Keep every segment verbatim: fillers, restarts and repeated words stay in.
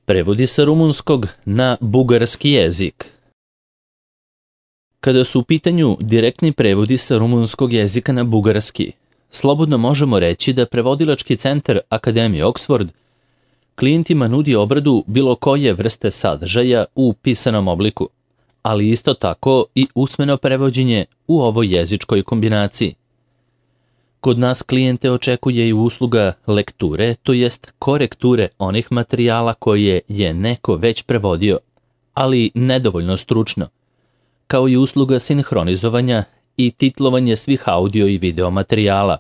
Prevodi sa rumunskog na bugarski jezik. Kada su u pitanju direktni prevodi sa rumunskog jezika na bugarski, slobodno možemo reći da prevodilački centar Akademije Oxford klijentima nudi obradu bilo koje vrste sadržaja u pisanom obliku, ali isto tako i usmeno prevođenje u ovoj jezičkoj kombinaciji. Kod nas klijente očekuje i usluga lekture, to jest korekture onih materijala koje je neko već prevodio, ali nedovoljno stručno, kao i usluga sinhronizovanja i titlovanje svih audio i video materijala.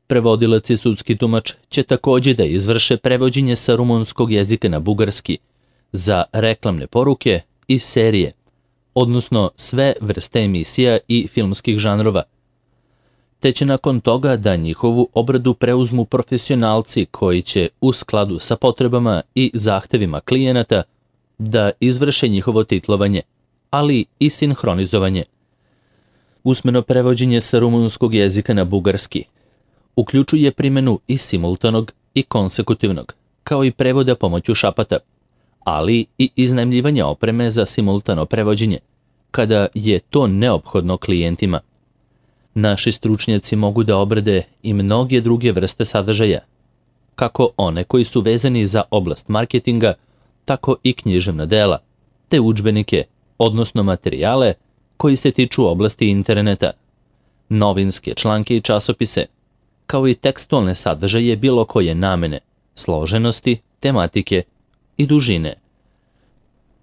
Prevodilac i sudski tumač će također da izvrše prevođenje sa rumunskog jezika na bugarski za reklamne poruke i serije, odnosno sve vrste emisija i filmskih žanrova, te će nakon toga da njihovu obradu preuzmu profesionalci koji će u skladu sa potrebama i zahtevima klijenata da izvrše njihovo titlovanje, ali i sinhronizovanje. Usmeno prevođenje sa rumunskog jezika na bugarski uključuje primjenu i simultanog i konsekutivnog, kao i prevoda pomoću šapata, ali i iznajmljivanje opreme za simultano prevođenje, kada je to neophodno klijentima. Naši stručnjaci mogu da obrade i mnoge druge vrste sadržaja, kako one koji su vezani za oblast marketinga, tako i književna dela, te udžbenike, odnosno materijale koji se tiču oblasti interneta, novinske članke i časopise, kao i tekstualne sadržaje bilo koje namene, složenosti, tematike i dužine.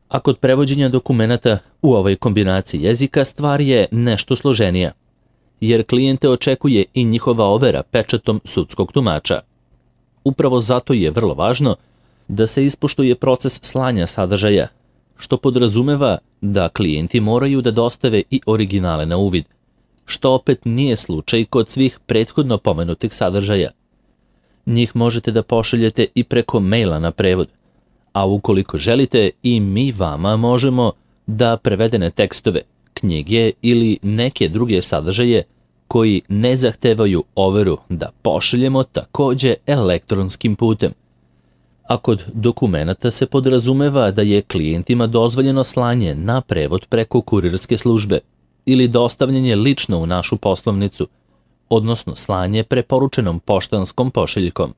A kod prevođenja dokumenata u ovoj kombinaciji jezika stvar je nešto složenija, jer klijente očekuje i njihova overa pečatom sudskog tumača. Upravo zato je vrlo važno da se ispoštuje proces slanja sadržaja, što podrazumeva da klijenti moraju da dostave i originale na uvid, što opet nije slučaj kod svih prethodno pomenutih sadržaja. Njih možete da pošaljete i preko maila na prevod, a ukoliko želite i mi vama možemo da prevedene tekstove, knjige ili neke druge sadržaje koji ne zahtevaju overu da pošaljemo također elektronskim putem. A kod dokumenata se podrazumeva da je klijentima dozvoljeno slanje na prevod preko kurirske službe ili dostavljanje lično u našu poslovnicu, odnosno slanje preporučenom poštanskom pošiljkom.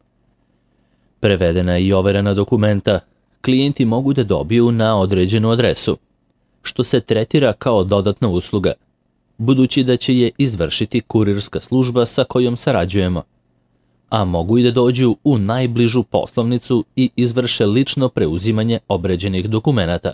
Prevedena i overena dokumenta klijenti mogu da dobiju na određenu adresu, što se tretira kao dodatna usluga, budući da će je izvršiti kurirska služba sa kojom sarađujemo, a mogu i da dođu u najbližu poslovnicu i izvrše lično preuzimanje obređenih dokumenata.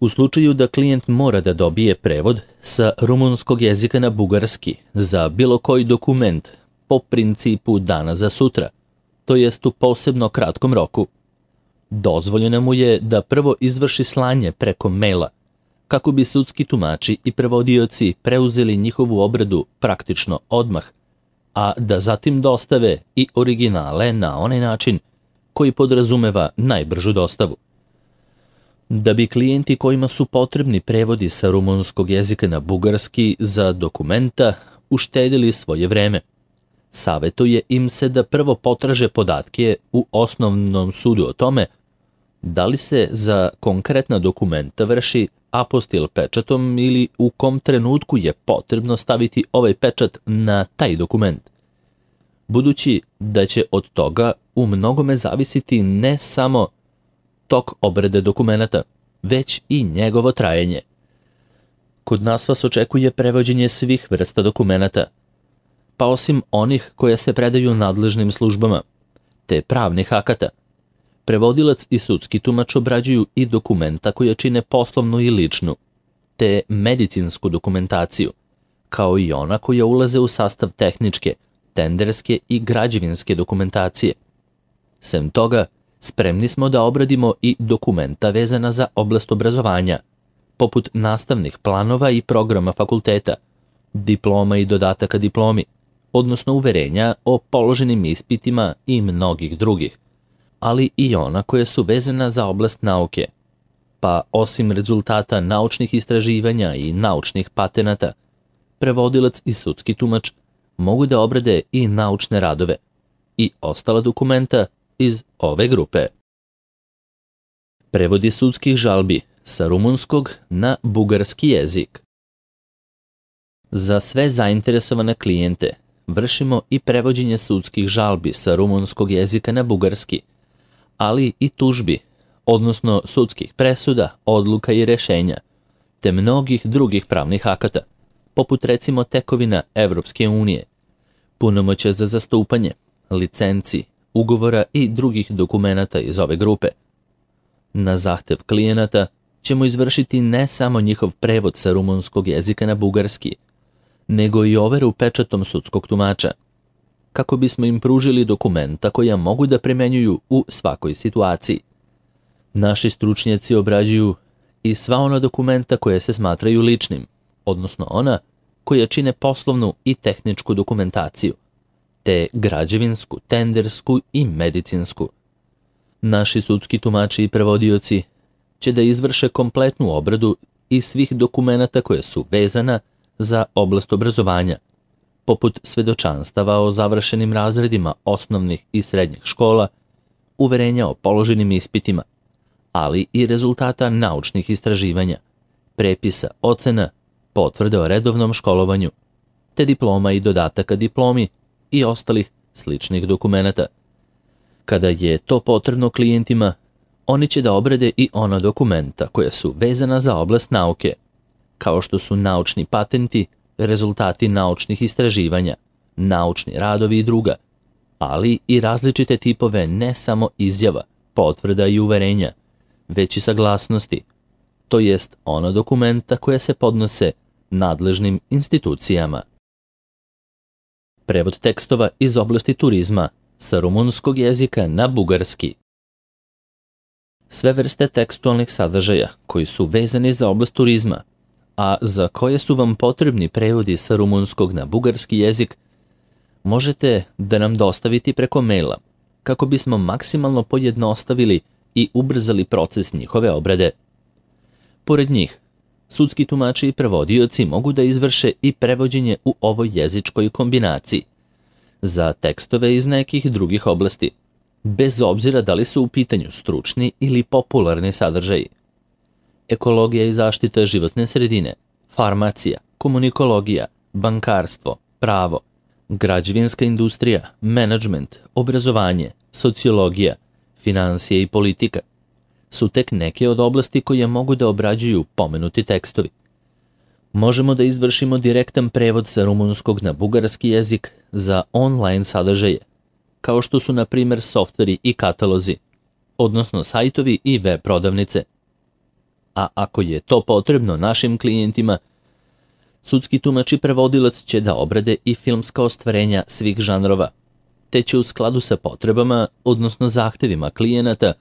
U slučaju da klijent mora da dobije prevod sa rumunskog jezika na bugarski za bilo koji dokument po principu dana za sutra, to jest u posebno kratkom roku, dozvoljeno mu je da prvo izvrši slanje preko maila, kako bi sudski tumači i prevodioci preuzeli njihovu obradu praktično odmah, a da zatim dostave i originale na onaj način koji podrazumeva najbržu dostavu. Da bi klijenti kojima su potrebni prevodi sa rumunskog jezika na bugarski za dokumenta uštedili svoje vreme, savetuje im se da prvo potraže podatke u osnovnom sudu o tome da li se za konkretna dokumenta vrši apostil pečatom ili u kom trenutku je potrebno staviti ovaj pečat na taj dokument, budući da će od toga u mnogome zavisiti ne samo tok obrade dokumenata, već i njegovo trajanje. Kod nas vas očekuje prevođenje svih vrsta dokumenata, pa osim onih koje se predaju nadležnim službama, te pravnih akata, prevodilac i sudski tumač obrađuju i dokumenta koje čine poslovnu i ličnu, te medicinsku dokumentaciju, kao i ona koja ulaze u sastav tehničke, tenderske i građevinske dokumentacije. Sem toga, spremni smo da obradimo i dokumenta vezana za oblast obrazovanja, poput nastavnih planova i programa fakulteta, diploma i dodataka diplomi, odnosno uverenja o položenim ispitima i mnogih drugih, ali i ona koja su vezana za oblast nauke. Pa osim rezultata naučnih istraživanja i naučnih patenata, prevodilac i sudski tumač mogu da obrade i naučne radove i ostala dokumenta iz ove grupe. Prevodi sudskih žalbi sa rumunskog na bugarski jezik. Za sve zainteresovane klijente vršimo i prevođenje sudskih žalbi sa rumunskog jezika na bugarski, ali i tužbi, odnosno sudskih presuda, odluka i rešenja, te mnogih drugih pravnih akata, poput recimo tekovina Evropske unije, punomoćja za zastupanje, licenci, ugovora i drugih dokumenata iz ove grupe. Na zahtev klijenata ćemo izvršiti ne samo njihov prevod sa rumunskog jezika na bugarski, nego i overu pečatom sudskog tumača, kako bismo im pružili dokumenta koja mogu da primenjuju u svakoj situaciji. Naši stručnjaci obrađuju i sva ona dokumenta koja se smatraju ličnim, odnosno ona koja čine poslovnu i tehničku dokumentaciju, te građevinsku, tendersku i medicinsku. Naši sudski tumači i prevodioci će da izvrše kompletnu obradu i svih dokumenata koje su vezana za oblast obrazovanja, poput svedočanstava o završenim razredima osnovnih i srednjih škola, uverenja o položenim ispitima, ali i rezultata naučnih istraživanja, prepisa, ocena, potvrde o redovnom školovanju, te diploma i dodataka diplomi i ostalih sličnih dokumenata. Kada je to potrebno klijentima, oni će da obrade i ona dokumenta koja su vezana za oblast nauke, kao što su naučni patenti, rezultati naučnih istraživanja, naučni radovi i druga, ali i različite tipove ne samo izjava, potvrda i uverenja, već i saglasnosti, to jest ona dokumenta koja se podnose nadležnim institucijama. Prevod tekstova iz oblasti turizma sa rumunskog jezika na bugarski. Sve vrste tekstualnih sadržaja koji su vezani za oblast turizma, a za koje su vam potrebni prevodi sa rumunskog na bugarski jezik, možete da nam dostaviti preko maila, kako bismo maksimalno pojednostavili i ubrzali proces njihove obrade. Pored njih, sudski tumači i prevodioci mogu da izvrše i prevođenje u ovoj jezičkoj kombinaciji za tekstove iz nekih drugih oblasti, bez obzira da li su u pitanju stručni ili popularni sadržaji. Ekologija i zaštita životne sredine, farmacija, komunikologija, bankarstvo, pravo, građevinska industrija, menadžment, obrazovanje, sociologija, finansije i politika su tek neke od oblasti koje mogu da obrađuju pomenuti tekstovi. Možemo da izvršimo direktan prevod sa rumunskog na bugarski jezik za online sadržaje, kao što su na primjer softveri i katalozi, odnosno sajtovi i web prodavnice. A ako je to potrebno našim klijentima, sudski tumač i prevodilac će da obrade i filmska ostvarenja svih žanrova, te će u skladu sa potrebama, odnosno zahtevima klijenata,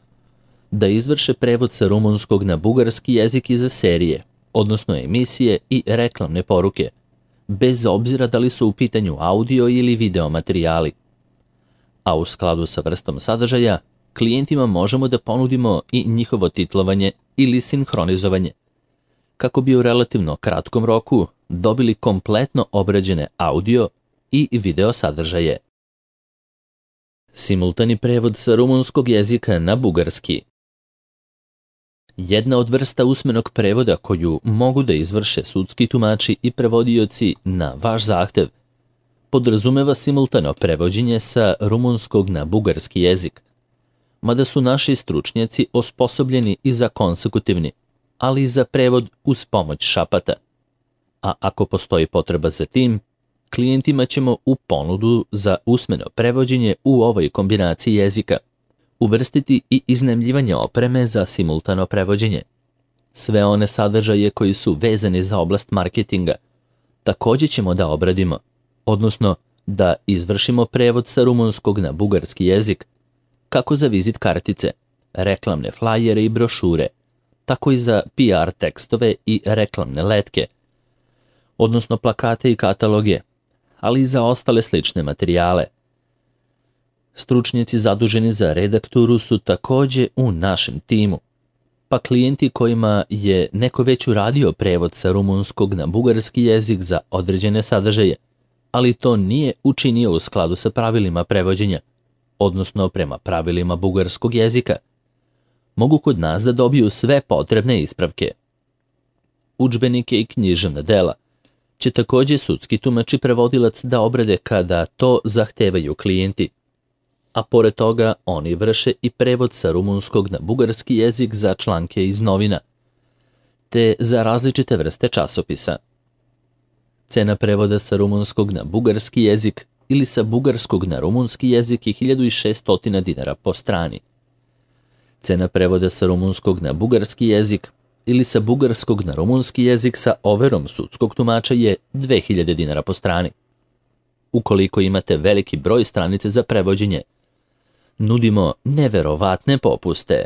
da izvrše prevod sa rumunskog na bugarski jezik i za serije, odnosno emisije i reklamne poruke, bez obzira da li su u pitanju audio ili video materijali. A u skladu sa vrstom sadržaja, klijentima možemo da ponudimo i njihovo titlovanje ili sinhronizovanje, kako bi u relativno kratkom roku dobili kompletno obrađene audio i video sadržaje. Simultani prevod sa rumunskog jezika na bugarski. Jedna od vrsta usmenog prevoda koju mogu da izvrše sudski tumači i prevodioci na vaš zahtev podrazumeva simultano prevođenje sa rumunskog na bugarski jezik, mada su naši stručnjaci osposobljeni i za konsekutivni, ali i za prevod uz pomoć šapata. A ako postoji potreba za tim, klijentima ćemo u ponudu za usmeno prevođenje u ovoj kombinaciji jezika uvrstiti i iznajmljivanje opreme za simultano prevođenje. Sve one sadržaje koji su vezani za oblast marketinga također ćemo da obradimo, odnosno da izvršimo prevod sa rumunskog na bugarski jezik, kako za vizit kartice, reklamne flajere i brošure, tako i za P R tekstove i reklamne letke, odnosno plakate i kataloge, ali i za ostale slične materijale. Stručnjaci zaduženi za redakturu su također u našem timu, pa klijenti kojima je neko već uradio prevod sa rumunskog na bugarski jezik za određene sadržaje, ali to nije učinio u skladu sa pravilima prevođenja, odnosno prema pravilima bugarskog jezika, mogu kod nas da dobiju sve potrebne ispravke. Udžbenike i književna dela će također sudski tumač i prevodilac da obrade kada to zahtevaju klijenti, a pored toga oni vrše i prevod sa rumunskog na bugarski jezik za članke iz novina, te za različite vrste časopisa. Cena prevoda sa rumunskog na bugarski jezik ili sa bugarskog na rumunski jezik je hiljadu šesto dinara po strani. Cena prevoda sa rumunskog na bugarski jezik ili sa bugarskog na rumunski jezik sa overom sudskog tumača je dve hiljade dinara po strani. Ukoliko imate veliki broj stranice za prevođenje, nudimo neverovatne popuste.